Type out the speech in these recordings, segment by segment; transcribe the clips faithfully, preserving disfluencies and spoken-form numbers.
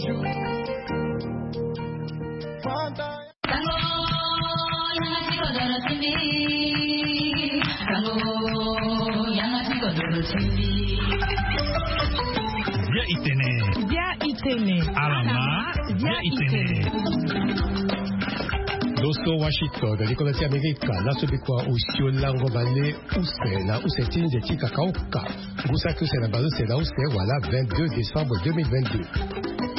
Bia itene. Bia itene. Alama. Bia itene. Loso Washington, likolo ti Amerika, laso bikua osio lango bale use na use ti nze ti kakaoka. Ngu saki use na bale use na use wala vingt-deux décembre deux mille vingt-deux.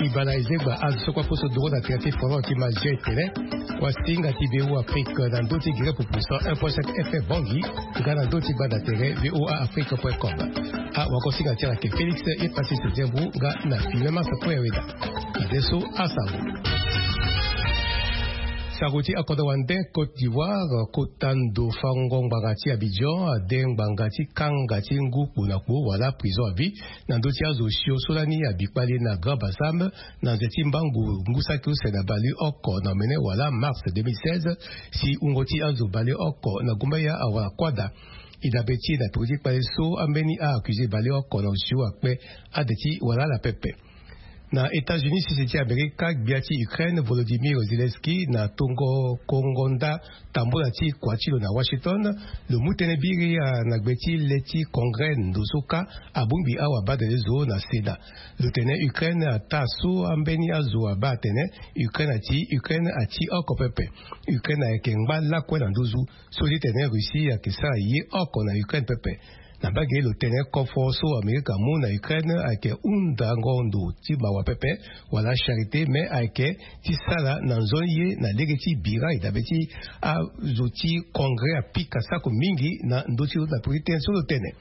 Ibana ezegba azo so kue aposo duru na tere ti forum ti Mazia etene. Wasinga ti V O A Afrique na ndö ti gere pupu cent un point cinq F M Bangui, nga na ndö ti gbanda tere V O A Afrique point com. A wakosinga ti ala ke Félix Epassis Diembu nga na filme masa kue weda. Ade so asango. Sango ti akodro wande Côte d'Ivoire, kota ndo fango ngbanga ti Abidjan ade ngbanga ti kanga ti ngu kpo na kpo wala prison à vie na ndö ti azo osio so lani abi kpale na Grand Bassam na nze ti mbangu ngu saki use na baleoko na omene wala mars deux mille seize, si wungo ti azo baleoko na gumbaya awara kuâ daa. E dabe ti e na peko ti kpale so ambeni a-accusé baleoko na osio akpe ade ti wala ala pepe. Na États-Unis, sese ti Amerika, gbia ti Ukraine Volodymyr Zelensky na tongo kongo nda tambula ti kua ti lo na Washington, lo mu tënë biri na gbe ti le ti Congrès ndo so kâ abongbi awabadale zo na Sénat. Lo tene Ukraine ataa so ambeni azo abaa atene Ukraine ati, Ukraine ati oko pepe. Ukraine ayeke ngba lakue na nduzu so ti tene Russie ayeke sara ye oko na Ukraine pepe. Na mbage lo tene kofo so Amerika amu na Ukraine ayeke hundango ndo ti mawa pepe wala charité, me ayeke ti sara na nzoni ye na lege ti bira e dabe ti azo ti Congrès apika sako mingi na ndö ti lo na peko ti tënë so lo tene.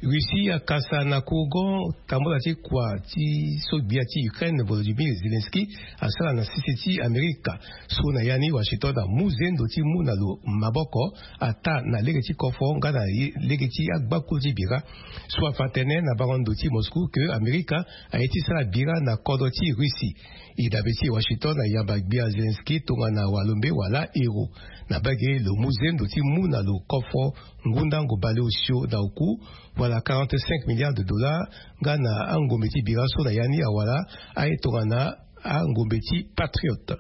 Russie akasa na kourgon tambula ti kua ti so gbia ti Ukraine Volodymyr Zelensky asara na sese ti Amerika, so na ya ni Washington amu zendo ti mu na lo maboko, ataa na lege ti kofo nga na ye-, lege ti agbakulu ti bira. So afa tënë na bango ndo ti Moscou ke Amerika aye ti sara bira na kodro ti Russie. E dabe ti Washington ayamba gbia Zelensky tongana walombe wala héros. Na mbage lo mu zendo ti mu na lo kofo ngundango baleosio na oku wala quarante-cinq milliards de dollars nga na angombe ti bira so na ya ni awara aye tongana angombe ti Patriote.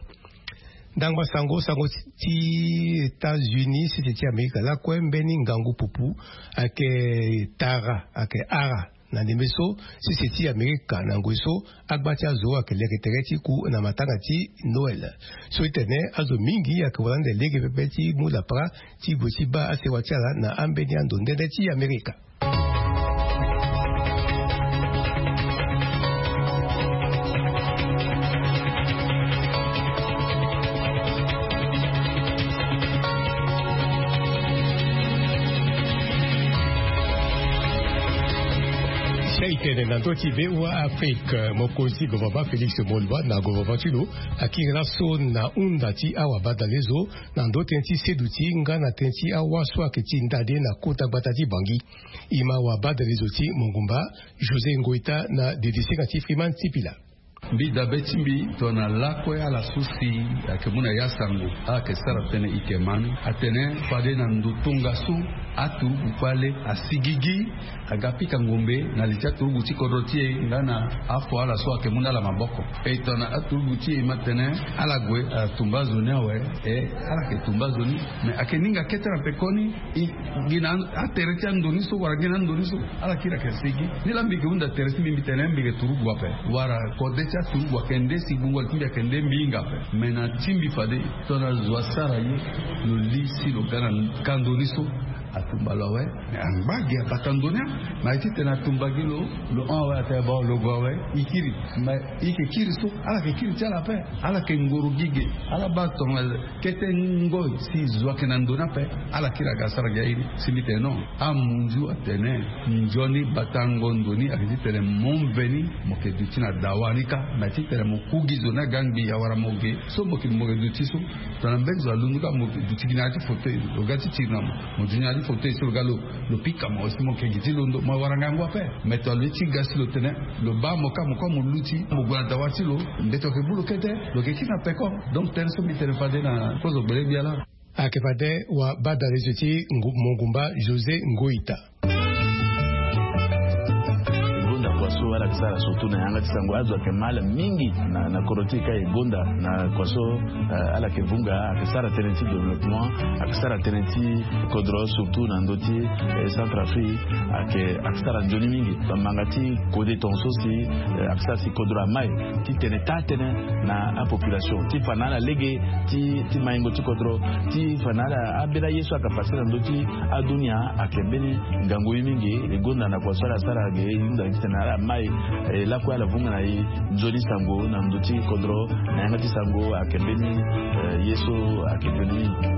Ndangba sango, sango ti, ti États-Unis, sese ti Amerika lakue mbeni ngangu pupu ayeke tara, ayeke ara na ndembe so sese ti Amerika na ngoi so agba ti azo ayeke leke tere ti ku na matanga ti Noël. So ti tene azo mingi ayeke wara ande lege pepe ti mu lapara ti gue ti baa asewa ti ala na ambeni ando nde nde ti Amerika. Si aye tene na ndö ti V O A Afrique, mokonzi gouvernement Félix Moloua na gouvernement ti lo akiri laso na hunda ti awabadale zo na ndö tënë ti seduti nga na tënë ti awa so ayeke ti ndade na kota gbata ti Bangui. E ma wabadale zo ti mongumba José Ngoïta na dedisinga ti Freeman Sipila. Mbi dabe ti mbi tongana lakue ala so si ayeke mu na ya sango, ala yeke sara tënë e yeke ma ni. Atene fade na ndo tongaso aturugu kpale asigigi aga pika ngombe na li ti aturugu ti kodro ti e nga na afo ala so ayeke mu na ala maboko. E tongana aturugu ti e e ma tene ala gue atumba azo ni awe, e ala yeke tumba azo ni. Me ayeke ninga kete na pekoni, e gi na atere ti ando ni so wala gi na ando ni so ala kiri ayeke sigi. Nilaa mbi yeke hunda tere ti mbi, mbi tene mbi yeke turugu ape wala kode ti aturugu ayeke nde si gbungo ti mbi ayeke nde mbi hinga ape. Me na ti mbi fade tongana zo asara ye, lo li si lo ga na kando ni so, atumba lo awe. Me angba gi abata ndo ni, me aye ti tene atumba gi lo, lo hon awe, atene bon lo gue awe, e kiri. Me e yeke kiri so, ala yeke kiri ti ala ape. Ala yeke ngoro gi ge, ala baa tongana kete ngoi si zo ayeke na ndo ni ape, ala kiri aga sara gi airi. Si mbi tene non, amunzu atene nzoni batango ndo ni ayeke ti tene mo mveni mo yeke duti na dawa ni kâ. Me aye ti tene mo ku gi zo ni aga ngbii awara mo ge so mo yeke, mo yeke duti so. Tongana mbeni zo alundu kâ mo duti gi na ya ti fauteuil, lo ga ti tiri na mo, mo duti na ya ti fauteuil so lo ga lo, lo pika mo aussi, mo yeke gi ti londo, mo wara ngangu ape. Me tongana lo ye ti ga si lo tene lo baa mo kâ, mo kue mo luti, mo gue na dawa ti lo, mbeto ayeke mu lo kete, lo yeke kiri na peko. Donc tënë so mbi tene fade na kozo gbele gbia laa. Ayeke fade wabadale zo ti ngu-, mongumba José Ngoïta. E gonda kua so Ala yeke sara surtout na yanga ti sango azo ayeke mal mingi na kodro ti e ka e gonda na kua so. Ala yeke vunga ayeke sara tënë ti développement, ayeke sara tënë ti kodro surtout na ndö ti centre afrique. Ayeke sara nzoni mingi bamanga ti kode tonga so si ayeke sara si kodro amai ti tene taa tënë na apopulation ti fa na ala lege ti maingo ti kodro ti fa na ala ambeni aye so ayeke pase na ndö ti adunia. Ayeke mbeni ngangu ye mingi e gonda na kua so ala sara ge e hunda titene ala mai lakue ala vunga na e nzoni sango na ndö ti kodro na yanga ti sango ayeke mbeni ye so ayeke mbeni mingi.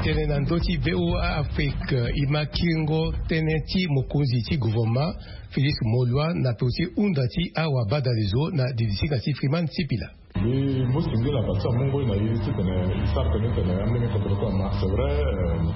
Tene na ndö ti voa afrique e ma kiringo tënë ti mokonzi ti gouvernement félix moloi na peko ti hunda ti awabadalezo na didisinga ti freeman sipila. Mbi mu singila bati amu ngoi na ye titene e sara tënë tene ambeni kodro kue ama c'est vrai.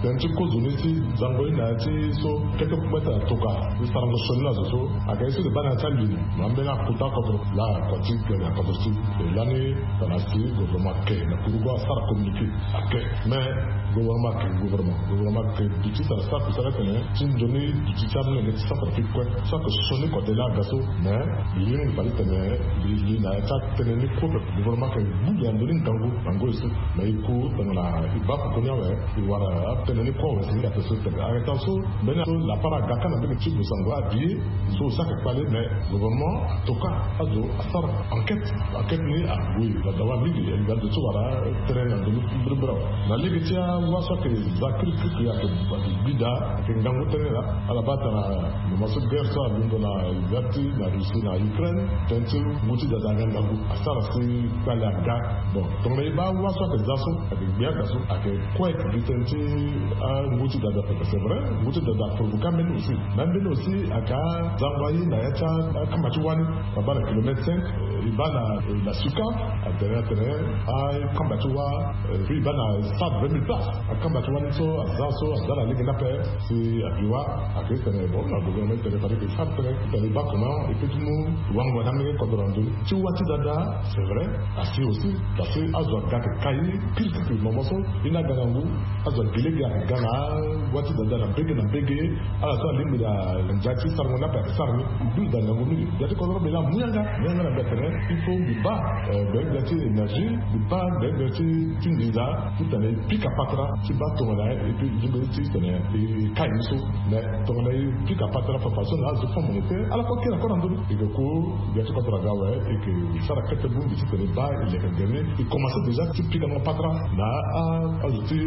Tënë ti kozo ni ti zango ye na ya ti so kete kue ti atoka e sarango sioni na zo so. Ayeke ye so e baa na ya ti alini ma ambeni akuta kodro laa kua ti tene akodro ti e lani. Tongana si gouvernement ake na kurugu asara communiqué ake. Mais gouvernement ake gouvernement gouvernement ake duti tara sara kusala tene ti nzoni duti ti amolenge ti centre afrique kue. So ake sioni kode laa aga so mais lingbi fade tene li na ya ti atënë ni kue. Gouvernement ake gbu gi na ndö ni ngangu na ngoi so. Mais e ku tongana e baa koko ni awe e wara atënë ni kue awe si ni ake so tene arrêtant so. Mbeni so lapara aga ka na mbeni ti bosango abi ye so e sara kpale mais gouvernement atoka azo asara enquête. Enquête ni ague na dawa mingi e ga zo ti wara tënë na ndö ni mbirimbiri awe. Na lege ti awa so ake za kirikirikiri ake gbida ake ngangu tënë laa. Ala baa tara mama so guerre so alondo na ya ti na russie na ukraine. Tënë ti ngu ti dada aga ngangu asara si kpale aga. Bon tongana e baa awa so ake za so ake gbia aga so ake kue ake gi tënë ti angu ti dada pepe c'est vrai. Ngu ti dada aprovoke ambeni aussi. Mais ambeni aussi ake azango aye na ya ti akamba ti wani. Abaa na kilomètre cinq e baa na suka atene atene akamba ti wa. Puis e baa na stade vingt mille places akamba ti wani so aza so aza na lege ni ape. Si abi wa ake tene bon na gouvernement tene fade ke sara tene tene e baa comment e peut ti mu wango na ambeni kodro na ndö ni ti wa ti dada. C'est vrai. Asi aussi parce que azo aga ake kai kirikiri momo so. Ye ni aga na ngu azo agi lege ake ga na wa ti dada na mbege na mbege. Ala so alingbi na ndia ti sarango ni ape ake sara ni. Mbi use da ngangu mingi. Gbia ti kodro mbi laa amu yanga mu yanga na mbi atene il faut mbi baa gbele gbia ti énergie mbi baa gbele gbia ti nginza titene e pika patara ti baa tongana ye et puis e lingbi ti tene e kai ni so. Mais tongana e pika patara fafa so na azo fonds monétaire ala kue kiri akue na ndö ni e ke ku. Gbia ti kodro aga awe e ke sara kete bongbi titene e baa e leke gere ni e commence déjà ti pikango patara na azo ti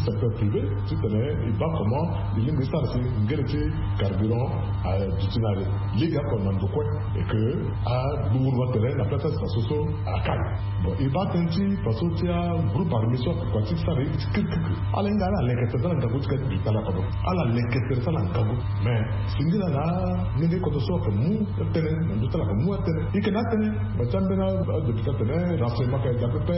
secteur privé titene e baa comment e lingbi ti sara si ngere ti carburant aduti na le. Lege oko na ndo kue e ke agburuba tere na place ti faso so akai. Bon e baa tënë ti faso ti agroupe armé so ake kua ti sara ye ti kirikirikiri. Ala hinga ala leke tere ti ala ngangu ti ka ti bi tala kodro ala leke tere ti ala ngangu. Mais singila na ndenge kodro so ake mu atënë na ndö ti ala ake mu atënë e yeke na atënë. Ba ti ambeni adéputé atene renseignement ake da pepe.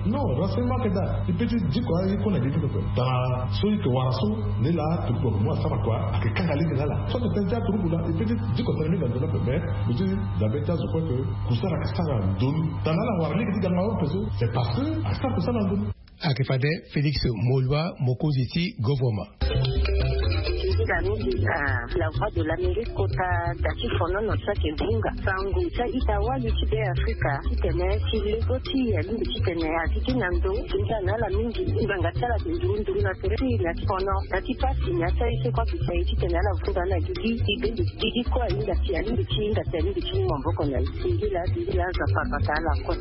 Non renseignement ake da e peut ti diko aye kue na gigi pepe. Tara so e yeke wara so nde laa aturuku ake mu asara kua ake kanga lege na ala so ake tënë ti aturuku laa e peut ti diko tënë ni na ndo ni ape mais mbi ti dabe ti azo kue ke kusala ake sara na ndo ni. Tara na ala wara lege ti ganga ape so c'est parce que asara kusala na ndo ni. Ake fade félix moloi mokonzi ti govornement. Nzila mingi na la voix de l'amérique kota da ti fonono so ake bunga sango ti a-ita wali ti be afrika titene ti lego ti alingbi titene azi ti na ndo. Nzila na ala mingi ngbanga ti ala ake nduru nduru na tere ti na ti fono na ti pasi na ti aye so kue ake fa ye titene ala vunga na gigi ti be ndeti gigi kue alingbi ti alingbi ti hinga ti alingbi ti mu maboko na ye. Singila singila azo apambaka ala kue.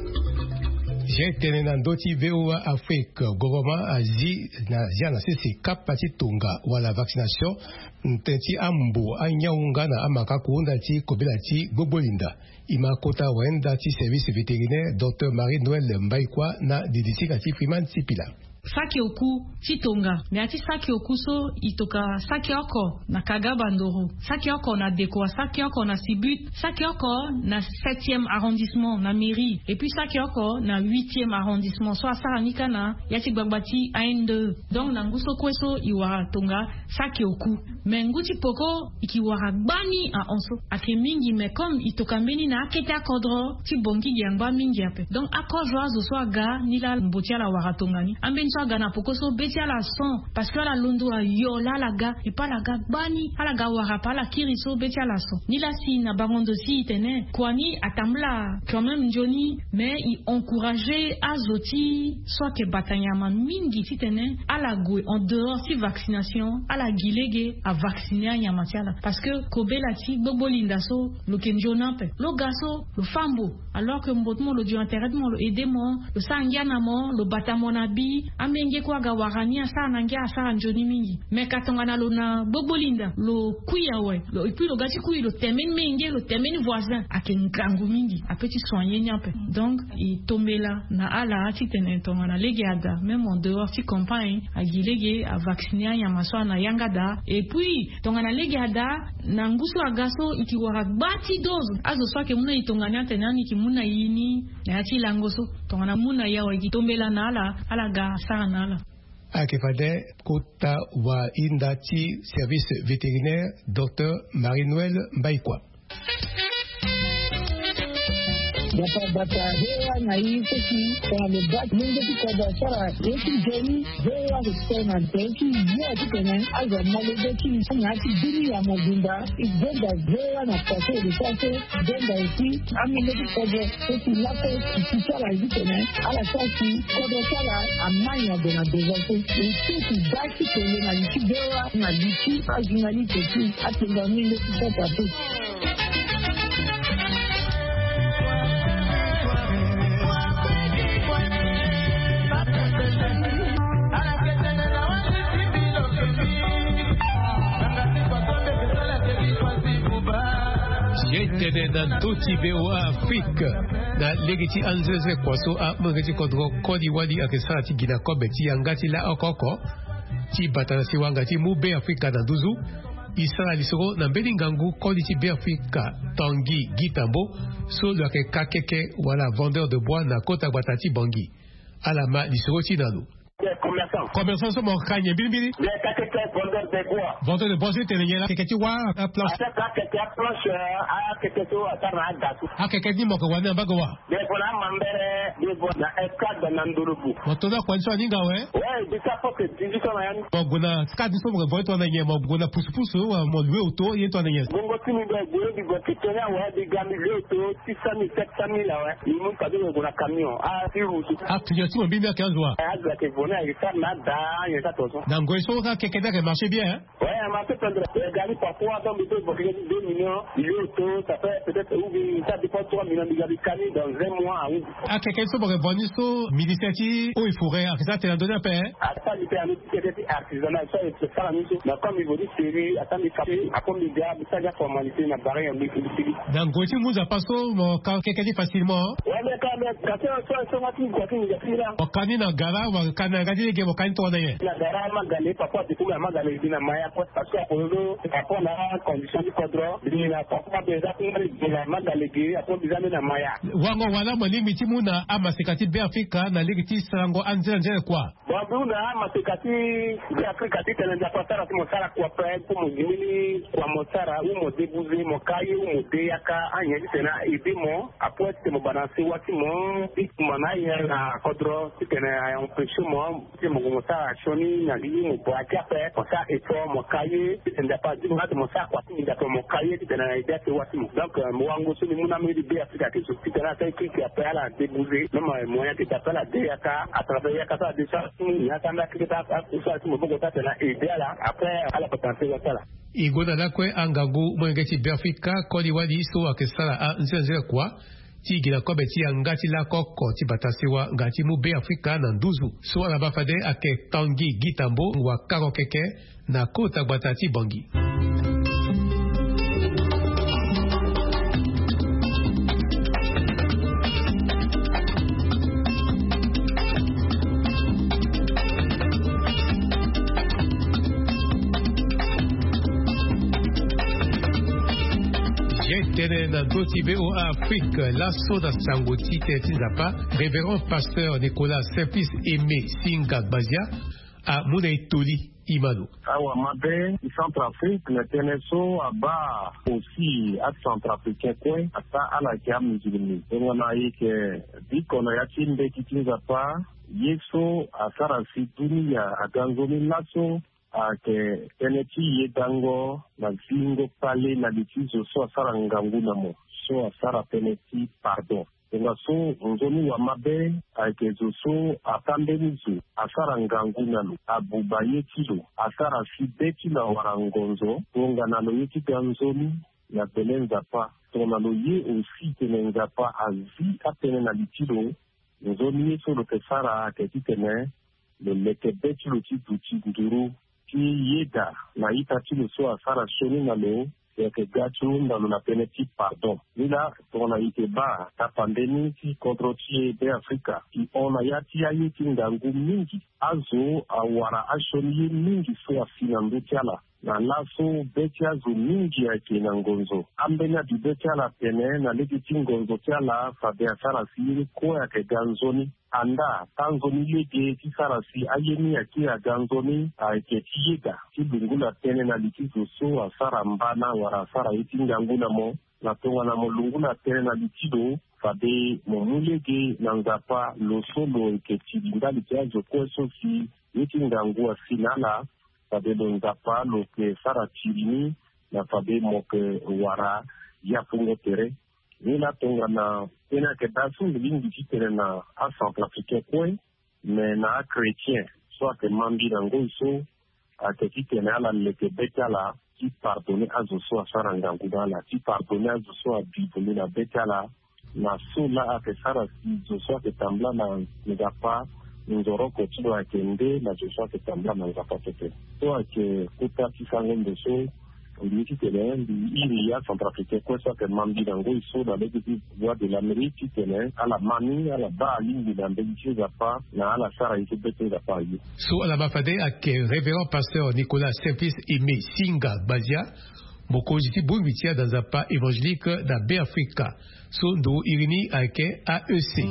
Zia etene na ndö ti voa afrique govornement azi na zia na sese kapa ti tonga wala vaccination. Tënë ti ambo anyangu nga na amakako nda ti kobela ti gbogbo linda. E ma kota wayenda ti service vétérinaire docteur marie noël mbaikua na didisinga ti freeman sipila. Saki oku ti tonga na ya ti saki oku so e toka saki oko na Kaga Bandoro, saki oko na Dekoa, saki oko na Sibut, saki oko na septième arrondissement na mairie, et puis saki oko na huitième arrondissement so asara ni kâ na ya ti gbagba ti A N D E. Donc na ngu so kue so e wara tonga saki oku. Mais ngu ti peko e ke wara gbani ahon so ayeke mingi, mais comme e toka mbeni na akete akodro ti Bangui, gi angba mingi ape. Donc akozo azo so aga ni laa mbo ti ala wara tongani. Ambeni so aga na peko so be ti ala son, parce que ala londo ayo laa ala ga, et puis ala ga gbani, ala ga wara ape, ala kiri so be ti ala son. Ni laa si na bango ndo si e tene kua ni atambula quand même nzoni, mais e encourager azo ti so ayeke bata nyama mingi titene ala gue en dehors ti vaccination, ala gi lege avacciner anyama ti ala. Parce que kobela ti gbogbo linda so lo yeke nzoni ape. Lo ga so lo fâ mbo, alors que mbo ti mo lo dio na tere ti mo, lo aider mo, lo sara ngia na mo, lo bata mo na bi. Amenge kue aga wara ni, asara na ngia, asara nzoni mingi. Mais ka tongana lo na gbogbo linda, lo kui awe, lo, et puis lo ga ti kui, lo tene mbeni menge, lo tene mbeni voisin, ayeke ngangu mingi, ape ti soigner ni ape. Donc e tombela na ala titene tongana lege ada, même en dehors ti campagne, agi lege avacciner anyama so ana yanga daa. Et puis tongana lege ada, na ngu so aga so e ke wara gba ti dose. Azo so ayeke mu na e tongani atene ani e ke mu na e ni na ya ti lango so. Tongana mu na e awe, e ke tombela na ala, ala ga asara na ala. Ayeke fade kota wahinda ti service vétérinaire, docteur Marie-Noël Mbaïkwa. Bata bata, V O A na e seki tongana lo baa ti lenge ti kodro asara ye ti nzoni. V O A ayeke tene na tere ti yo titene azo amolenge ti na ya ti bini ya mobimba. E denda V O A na pase e de sara so denda aussi amolenge ti kodro so ti lakue ti ti ti ala ye titene ala sara si kodro ti ala ama nyen gue na devant so. E ti ti baa ti kele na li ti V O A na li ti ajournaliste ti atenda amolenge ti kodro ape. Ye tene na ndö ti V O A Afrique, na lege ti anzenze kua so amolenge ti kodro koli wali ayeke sara ti gi na kobe ti yanga ti laoko oko ti bata na siwa nga ti mu Beafrika na nduzu. E sara lisoro na mbeni ngangu koli ti Beafrika Tanguy Guy Tambo, so lo yeke kakeke wala vendeur de bois na kota gbata ti Bangui. Ala ma lisoro ti na lo. Commerçant. Commerçant so mo ka nyen mbirimbiri? Bien, kakeke vendeur de bois. Vendeur de bois so e tene nyen la? Keke ti wâ, aplanche. Akeke aplanche, euh, akeke so asara na aga so. Akeke ni mo yeke wani na mbage wâ? Bien, voilà, mambere, bien, voilà, na escadre na ndolobu. Mo to na kua ni so aninga awe? Ouais, déjà, faut que dix-huit ans na ya ni. Mo gue na escadre so mo yeke vo ni tongana nyen? Mo gue na pusupusu, mo loue auto, ye tongana nyen? Bongo ti mi be gue, bi gue ti tene awe, bi ga mi loue auto, six cent mille, sept cent mille awe. Mi mu kado, mi gue na camion. Ah, ti route. Ah, client ti mo mbirimbiri ayeke azo wa? Eh, azo ayeke vo ni, ayeke sara na ada, ayeke sara tongaso. Na ngoi so akeke ni ayeke marché bien, hein? Ouais, a marché tendre. Eh, gari parfois, donc, il peut évoquer deux millions, il est auto, ça fait peut-être, ou bien, ça dépend, trois millions, il y a des camions dans un mois, hein. Akeke so mo yeke vo ni so, ministère ti eaux et forêts ayeke sara tene na ndö ni ape, hein? Asara ni pe anu ti keke ti artisanat so ayeke sara ni so. Mais comme il veut dire sérieux, asara ni kapa, akomi ga, mi sara ni aformalité na barrière, mi, mi, mi. Na ngoi ti mu nzapa so mo ka keke ni facilement? Ouais, mais quand même, quand même, so, so, so, so, so, so, so, so, so, mo ka ni na gara, mo ka ni na yanga ti lege, mo ka ni tongana nyen? Na gara Magale, papa, du coup, na Magale, e bi na Maya, quoi. Parce que apono so, par rapport na condition ti kodro, e bi na papa, pe eza ti ngba lege na Magale ge, apono biza ni na Maya. Wango wala mo lingbi ti mu na amaseka ti Beafrika na lege ti sarango anzere anzere kua? Bon, mbi hunda amaseka ti Beafrika titene Nzapa asara ti mo sara kua ape, pour mo gi mbeni kua mo sara, ou mo débouser, mo ka ye, ou mo de yaka, anyen titene a aider mo, apoe titene mo bana sewa ti mo, ti kumba na ayen na kodro, titene a empêcher mo, titene mo gue mo sara sioni na li, ou mo braquer ape, mo sara effort, mo ka ye, titene Nzapa azi mo ati mo sara kua ti nginza ape, mo ka ye, titene a aider asewa ti mo. Donc, euh, mo wango so mbi mu na amolenge ti Beafrika ayeke so. Titene asara keke ape ala débouser, même, euh, moyen ti da ape ala de yaka, à travers yaka so ala de sara ti mu, ni asara nda keke ti a, a, so ala ti maboko ti atene a aider ala, après, ala bata na sewa ti ala. E gue na lakue angangu molenge ti Beafrika koli wali so ayeke sara anzenze kua ti gi na kobe ti yanga ti laoko oko ti bata sewa nga ti mu Beafrika na nduzu. So ala baa fade ayeke Tanguy Guy Tambo, wakaro keke na kota gbata ti Bangui. Tene na ndö ti VOA Afrique laso na sango ti tene ti Nzapa, Révérend Pasteur Nicolas Simplice Aimé Singa Gbazia amu na e toli. Imano. Awamabe ti Centrafrique na tënë so abaa aussi aCentrafricain kue, ataa ala yeke amusulmi. Tongana e yeke biko na ya ti mbeti ti Nzapa, ye so asara si dunia aga nzoni laso ayeke tënë ti yedango na zingo kpale na li ti zo so asara ngangu na mo, so asara tënë ti pardon. Tongaso nzoni wamabe ayeke zo so ataa mbeni zo, asara ngangu na lo, abuba ye ti lo, asara si be ti lo awara ngonzo, tongana lo ye ti ga nzoni na bele Nzapa. Tongana lo ye aussi tene Nzapa azi atënë na li ti lo, nzoni ye so lo yeke sara ayeke titene lo leke be ti lo ti duti nduru ti yeda na ita ti lo so asara sioni na lo, lo yeke ga ti hunda lo na tënë ti pardon. Ni laa, tongana e yeke baa tapande ni ti kodro ti e Be Afrika, e hon na ya ti aye ti ngangu mingi. Azo awara asioni ye mingi so asi na ndö ti ala. Na laso be ti azo mingi ayeke na ngonzo. Ambeni abibe ti ala atene na lege ti ngonzo ti ala fade asara si ye ni kue ayeke ga nzoni. Andaa taa nzoni lege ti sara si aye ni akiri aga nzoni ayeke ti yeda ti lungula tënë na li ti zo so asara mbana wala asara ye ti ngangu na mo. Na tongana mo lungula tënë na li ti lo, fade mo mu lege na Nzapa lo so lo yeke tiri ndali ti azo kue so si ye ti ngangu asi na ala. Fade lo Nzapa lo yeke sara tiri ni na fade mo yeke wara yapungo tere. Ni laa tongana tënë ayeke daa so mbi lingbi titene na aCentrafricain kue, me na achrétien so ayeke ma mbi na ngoi so, ayeke titene ala leke be ti ala ti pardonner azo so asara ngangu na ala, ti pardonner azo so abi vundu na be ti ala. Na so laa ayeke sara si zo so ayeke tambula na Nzapa, nzoroko ti lo ayeke nde na zo so ayeke tambula na Nzapa pepe. So ayeke kota ti sango ndo so mbi ye titene mbi iri aCentrafricain kue so ayeke ma mbi na ngoi so na lege ti Voix de l'Amérique titene ala ma ni, ala baa alingbi na mbeni ti Nzapa na ala sara ye so be ti Nzapa aye. So ala ma fade ayeke Révérend Pasteur Nicolas Simplice Aimé Singa Gbazia, mokonzi ti bongbi ti ada Nzapa évangélique na Be Afrika. So ndo iri ni ayeke A E C.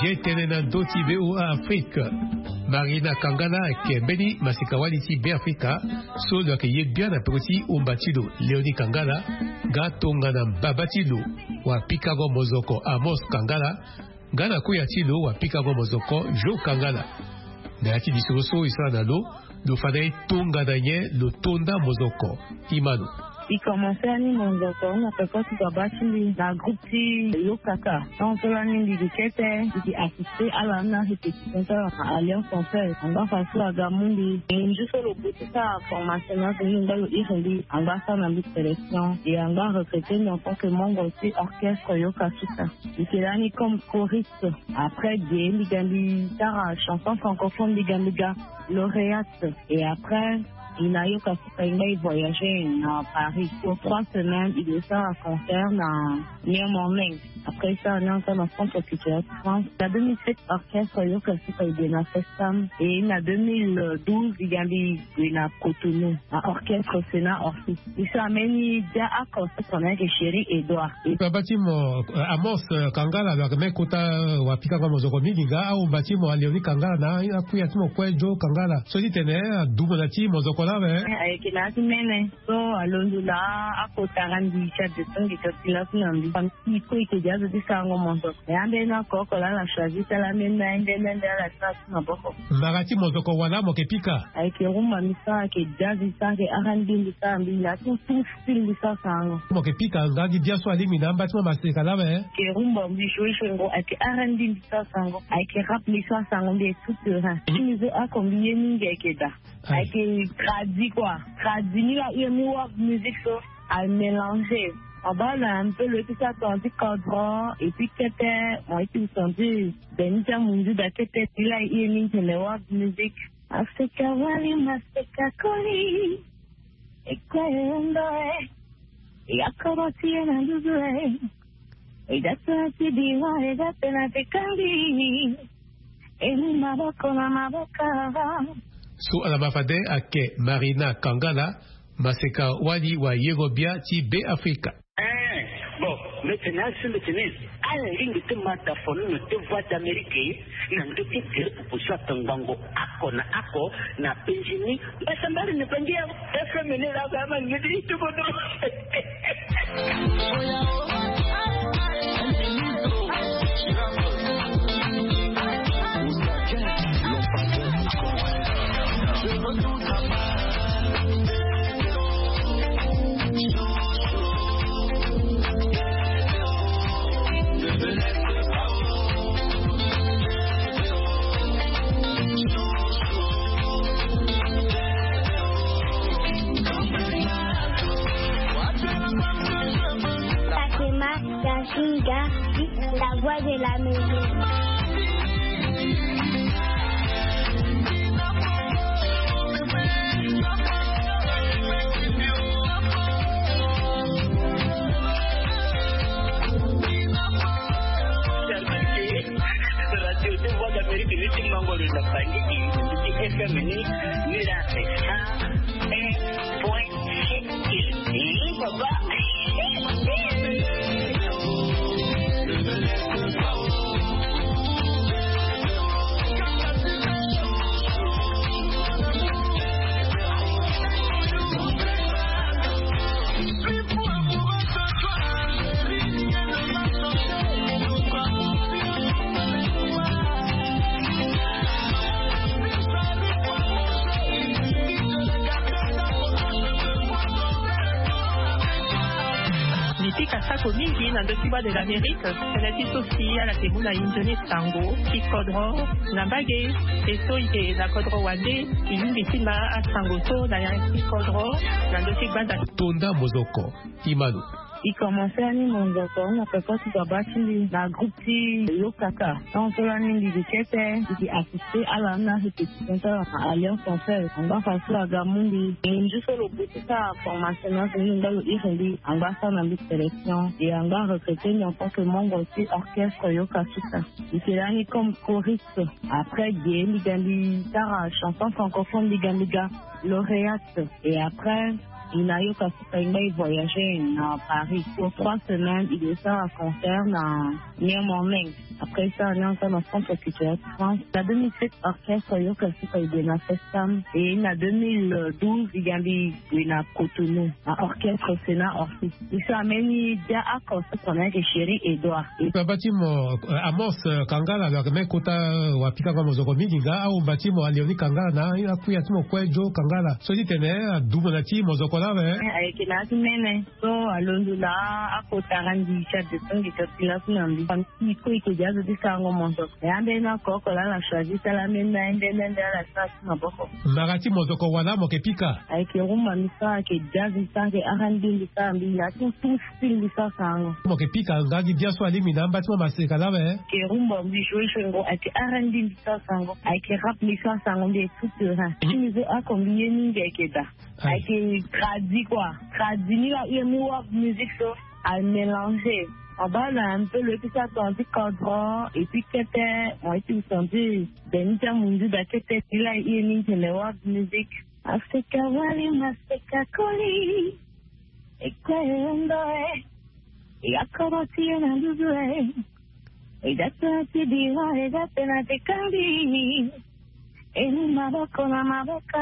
Ye tene na ndö ti VOA Afrique. Marina Kangala ayeke mbeni masika-wali ti Be Afrika so lo yeke ye gbia na peko ti umba ti lo Léonie Kangala, nga tongana mbaba ti lo wapikango mozoko Amos Kangala, nga na kuya ti lo wapikango mozoko Jo Kangala. Na ya ti lisoro so e sara na lo, lo fa na e tongana nyen lo to nda mozoko. Imano. E commencé ani mozoko na peko ti baba ti mbi na groupe ti Yokaka. Tant so lani mbi gi kete, mbi gi assisté ala na répétition ti ala na Alliance Française. Angba fa so aga mu mbi. Ngu so lo bu ti sara formation na azo ni, angba lo iri mbi, angba asara na mbi sélection. E angba recruté mbi en tant que membre ti orchestre Yokasuka. Mbi yeke lani comme choriste. Après, ge mbi ga mbi sara chanson francophone, mbi ga mbi ga lauréate. Et après, Il a yoka suka i ngai voyager na Paris pour trois semaines. Il est à concert na Néo Morning. Après ça, on est encore dans le centre culturel de France. Na deux mille sept, orchestre yoka suka i de na Festam. Et na deux mille douze, il y a eu na Cotonou, na orchestre Sénat Orsi. Biso ameni dia aconsept na yeke Chéri Edouard. Baba ti mo, eh, Amos, eh, Kangala, lo yeke me kota, eh, wa pika nga mozoko mingi nga, aomba ti mo Léonie Kangala na akuya ti mo kue Joe Kangala. So ti tene, eh, adumo na ti mozoko laa awe. Eh, ayeke na ya ti mene. So alondo laa akota randi ti adetongi to ti laku na mbi. Iko ike dia zo ti sango mozoko. E ambeni akoko laa la choisi ti ala ambeni na ende ende ala ti na ti maboko. Mbara ti mozoko wala mo yeke pika? Ayeke rumba mbi sara, ayeke jazz mbi sara, ayeke R and B mbi sara, mbi na ti tout style mbi sara sango. Mo yeke pika nga gi bia so alingbi na amba ti mo maseka laa awe? Ayeke rumba mbi joue sango, ayeke R and B mbi sara sango, ayeke rap mbi sara sango, mbi est tout terrain. Mhm. Ti mbi so oko mbi ye mingi ayeke daa. Aye. Ayeke tradi quoi. Tradi ni la, ye mu world music so. A mélanger. Aba na un peu lo ye ti sa tonga ti kodro, et puis kete, mo ye ti tonga ti beni ti amunzu da kete ti la ye mingi tene world music. Maseka wali, maseka koli. E kue e ndo e. E akoro ti ye na nduzu e. E da tena ti bira, e da tena ti kangbi. E mu maboko na maboko. So ala ma fade ayeke Marina Kangala, maseka wali wa yero bia ti Be Afrika. Eh, bon, mbi tene asi mbi tene ala lingbi ti ma tafono na ti Voix d'Amérique, na ndö ti gere pupu so atongbango oko na oko na penzi ni. Mbasambari ni penzi ya F M ni la ba ma ni ti tubono. Fatima Yashinga, la voix de la maison. Radio de Voix d'Amérique, ni ti mango lo na Bangui, ni ti F M ni, ni la F M. Eh, point. Eh, papa. Mbi pika sako mingi na ndö ti Voix de l'Amérique. Tënë ti so si ala yeke mu na inzo ni sango ti kodro na mbage. E so e yeke na kodro wande, e lingbi ti ma asango so na ya ti kodro na ndö ti gbanda. Tonda mozoko. Imanu. E commencé ani mozoko na peko ti baba ti mbi na groupe ti Lokaka. Tant so lani mbi gi kete, mbi gi assisté ala na répétition ti ala na Alliance Française. Angba fa so aga mu mbi. Ngu so lo gue ti sara formation na so ni ngba lo iri mbi. Angba sara na mbi sélection. Et angba recruté mbi en tant que membre ti orchestre Yoka Suka. Mbi yeke lani comme choriste. Après ge mbi ga mbi sara chanson francophone, mbi ga mbi ga lauréate. Et après, il a eu parce que il voyager na Paris. Pour trois semaines, il est à concert na New Morning. Après ça, on est encore dans le centre culturel de France. Na deux mille sept, orchestre Yoka Suka i de na Festam. Et na deux mille douze, il y a eu na Cotonou, na orchestre Sénat Orsi. Biso ameni dia aconsept na yeke Chéri Edouard. Baba ti mo, eh, Amos, eh, Kangala, lo yeke me kota, eh, wa pika nga mozoko mingi nga, aomba ti mo Léonie Kangala na akuya ti mo kue Joe Kangala. So ti tene, eh, adumo na ti mozoko Ayeke na ya ti mene so alondo na akota randi ti adeson de kapila so na mbi. Famille ti ko iko dia zo ti sango monzo. Ya mbeni oko oko laa na choisi sala mbeni na ye mbeni mbeni ala sara ti maboko. Mara ti mozoko wala mo yeke pika? Ayeke rumba mbi sara, ayeke jazz mbi sara, ayeke R and B mbi sara, mbi na ti tout style mbi sara sango. Mo yeke pika nga gi bia so alingbi na amba ti mo maseka laa awe? Ayeke rumba mbi joue sango, ayeke R and B mbi sara sango, ayeke rap mbi sara sango, mbi est tout terrain. Ti mbi so oko mbi ye mingi ayeke daa. Ayeke tradi kua. Tradi ni la ue mu world music so amélanger. Abaa na un peu lo ye ti sara tonga ti kodro et puis kete mo ye ti sentir beni ti amunzu daa kete ni la e ue mingi tene world music. Afrika wali maseka koli. E kue e hunda e. E ga kodro ti e na nduzu e. E ga tena ti biro, e ga tena ti kandi. E mu maboko na maboko.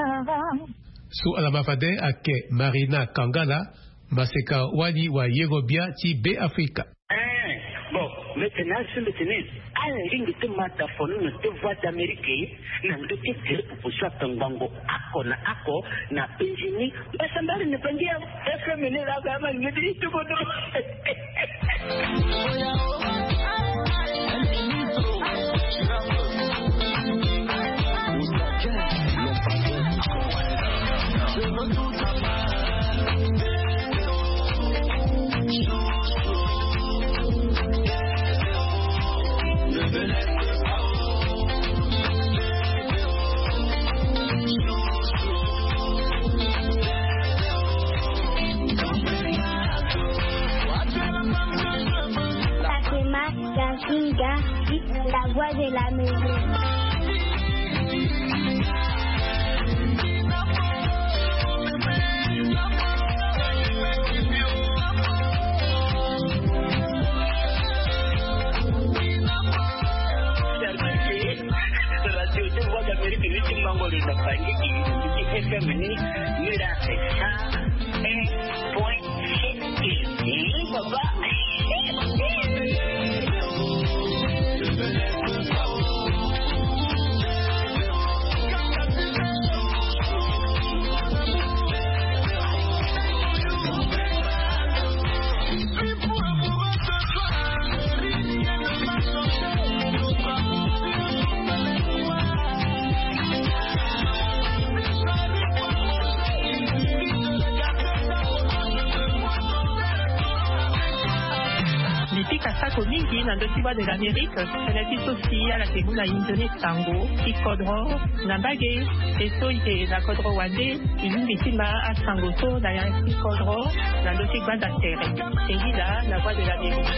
So ala ma fade ayeke Marina Kangala, maseka wali wa yero bia ti Be Afrika. Eh, bon, mbi tene na so mbi tene, ala lingbi ti ma dafono na ti Voix d'Amérique, na ndö ti tere popo so atongbango oko na oko na penzi ni. Mbasambala ni bangi ya F M ni la ga ma ngeti ti bodo. Fatima Kansinga, la voix de la maison. Radio ti Voix d'Amérique ni ti mango lo na bangi ti F M ni, ni la sa un point six. Mbi pika sako mingi na ndö ti Voix de l'Amérique, tënë ti so si ala yeke mu na inzo ni sango ti kodro na mbage. E so e yeke na kodro wande, e lingbi ti ma asango so na ya ti kodro na ndö ti gbanda tere. E ngi laa na Voix de l'Amérique.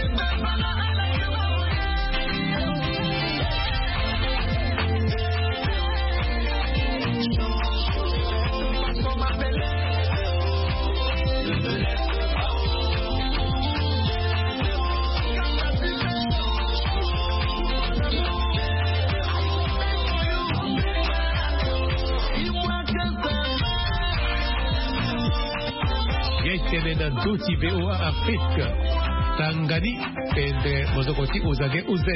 Ye tene na ndö ti V O A Afrique. Tanga ni. Pendre mozoko ti Ozage O Z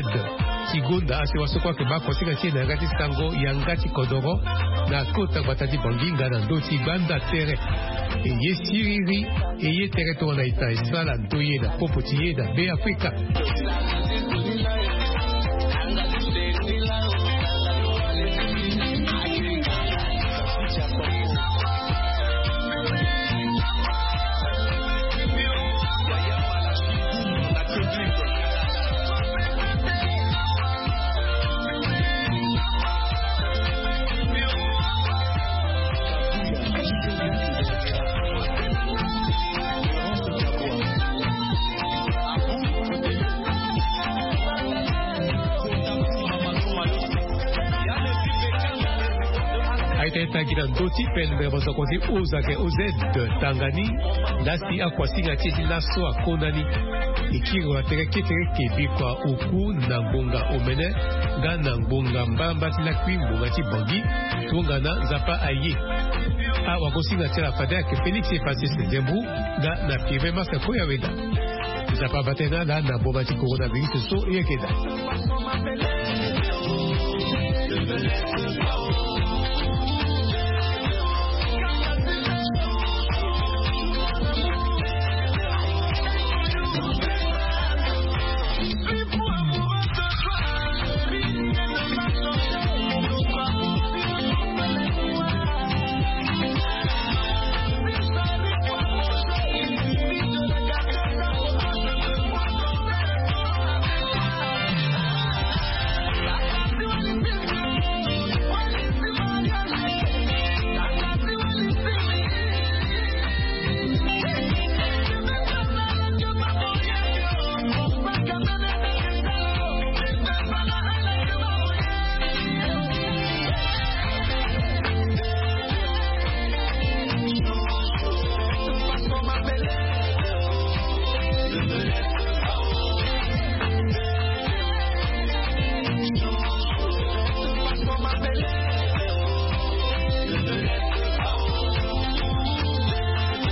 ti gonda asewa so kue ayeke baa kosinga ti e na yanga ti sango yanga ti kodoro na kota gbata ti Bangi nga na ndö ti gbanda tere. E ye siriri, e ye tere tongana ita e sara ndoye na popo ti e na Be Afrika. Aita e tagi na ndö ti pendre mosoko ti Ozake O Z tanga ni. Laa si akuasinga ti e ti laso akonda ni. E kiri na tere ketereke bikua oku na ngbonga omene nga na ngbonga mbamba ti lakui ngbonga ti Bangi. Tongana Nzapa aye. Awagosinga ti ala fade ayeke Félix Epasis Nzembu nga na Pirve Maska Koya Weda. Nzapa abaa tënë na ala na mboma ti coronavirus so e yeke daa.